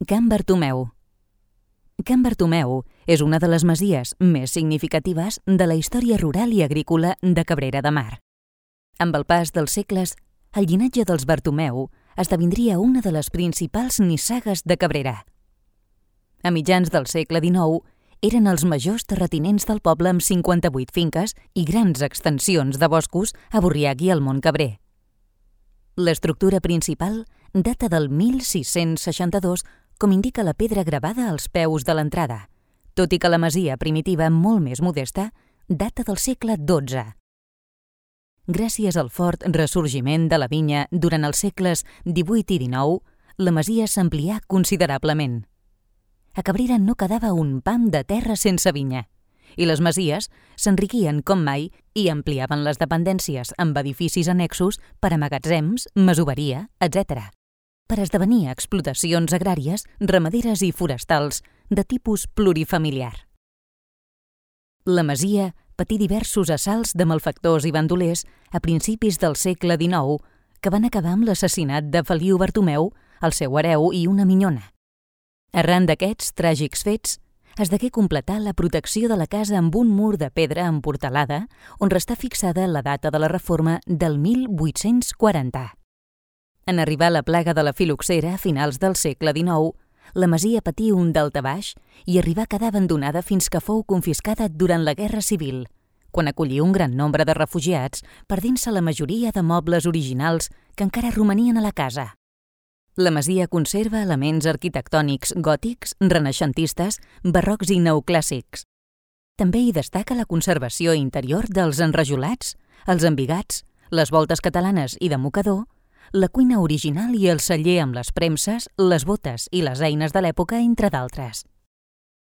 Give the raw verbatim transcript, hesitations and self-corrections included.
Can Bartomeu. Can Bartomeu és una de les masies més significatives de la història rural i agrícola de Cabrera de Mar. Amb el pas dels segles, el llinatge dels Bartomeu esdevindria una de les principals nissagues de Cabrera. A mitjans del segle dinou, eren els majors terratinents del poble amb cinquanta-vuit finques i grans extensions de boscos a Borriac i al Montcabrer. L'estructura principal data del mil sis-cents seixanta-dos, com indica la pedra gravada als peus de l'entrada, tot i que la masia primitiva, molt més modesta, data del segle dotze. Gràcies al fort ressorgiment de la vinya durant els segles divuit i dinou, la masia s'amplià considerablement. A Cabrera no quedava un pam de terra sense vinya, i les masies s'enriquien com mai i ampliaven les dependències amb edificis annexos per a magatzems, masoveria, etcètera, per esdevenir explotacions agràries, ramaderes i forestals de tipus plurifamiliar. La masia patí diversos assalts de malfactors i bandolers a principis del segle dinou que van acabar amb l'assassinat de Feliu Bartomeu, el seu hereu i una minyona. Arran d'aquests tràgics fets, es degué completar la protecció de la casa amb un mur de pedra emportalada on restà fixada la data de la reforma del mil vuit-cents quaranta. En arribar la plaga de la filoxera a finals del segle dinou, la masia patí un daltabaix i arribà a quedar abandonada fins que fou confiscada durant la Guerra Civil, quan acollí un gran nombre de refugiats, perdent-se la majoria de mobles originals que encara romanien a la casa. La masia conserva elements arquitectònics gòtics, renaixentistes, barrocs i neoclàssics. També hi destaca la conservació interior dels enrajolats, els embigats, les voltes catalanes i de mocador, la cuina original i el celler amb les premses, les botes i les eines de l'època, entre d'altres.